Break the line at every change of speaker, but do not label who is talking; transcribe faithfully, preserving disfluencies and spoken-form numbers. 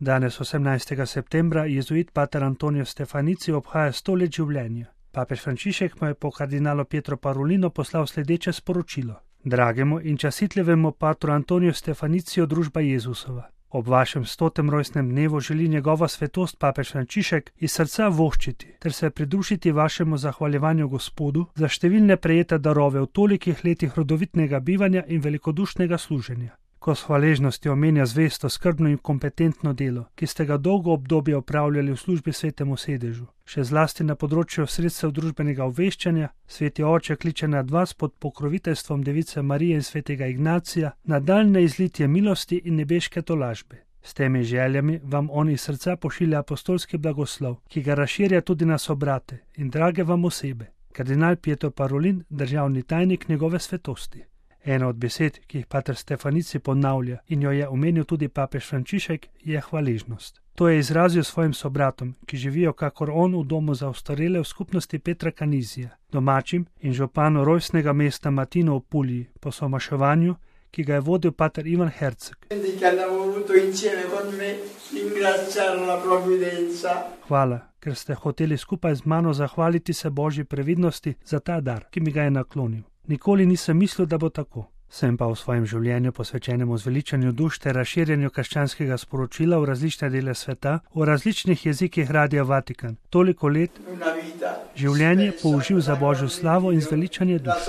Danes, osemnajstega septembra, jezuit pater Antonijo Stefanici obhaja sto let življenja. Papež Frančišek mu je po kardinalu Pietro Parolinu poslal sledeče sporočilo. Dragemu in častitljivemu patru Antoniju Stefaniciju družba Jezusova. Ob vašem stotem rojstnem dnevu želi njegova svetost papež Frančišek iz srca voščiti ter se pridružiti vašemu zahvaljevanju Gospodu za številne prejete darove v tolikih letih rodovitnega bivanja in velikodušnega služenja. Ko s hvaležnostjo omenja zvesto, skrbno in kompetentno delo, ki ste ga dolgo obdobje opravljali v službi svetemu sedežu, še zlasti na področju sredstev družbenega obveščanja, sveti oče kliče nad vas pod pokroviteljstvom Device Marije in svetega Ignacija nadaljnje izlitje milosti in nebeške tolažbe. S temi željami vam on iz srca pošilja apostolski blagoslov, ki ga razširja tudi na sobrate in drage vam osebe. Kardinal Pietro Parolin, državni tajnik njegove svetosti. Ena od besed, ki jih pater Stefanici ponavlja in jo je omenil tudi papež Frančišek, je hvaležnost. To je izrazil svojim sobratom, ki živijo kakor on v domu za ostarele v skupnosti Petra Kanizija, domačim in županu rojstnega mesta Matino v Pulji, po somaševanju, ki ga je vodil pater Ivan Herceg. Hvala, ker ste hoteli skupaj z mano zahvaliti se Božji previdnosti za ta dar, ki mi ga je naklonil. Nikoli nisem mislil, da bo tako. Sem pa v svojem življenju posvečenemu zveličanju duš ter razširjanju krščanskega sporočila v različne dele sveta, v različnih jezikih Radia Vatikan. Toliko let življenje použil za Božjo slavo in zveličanje duš.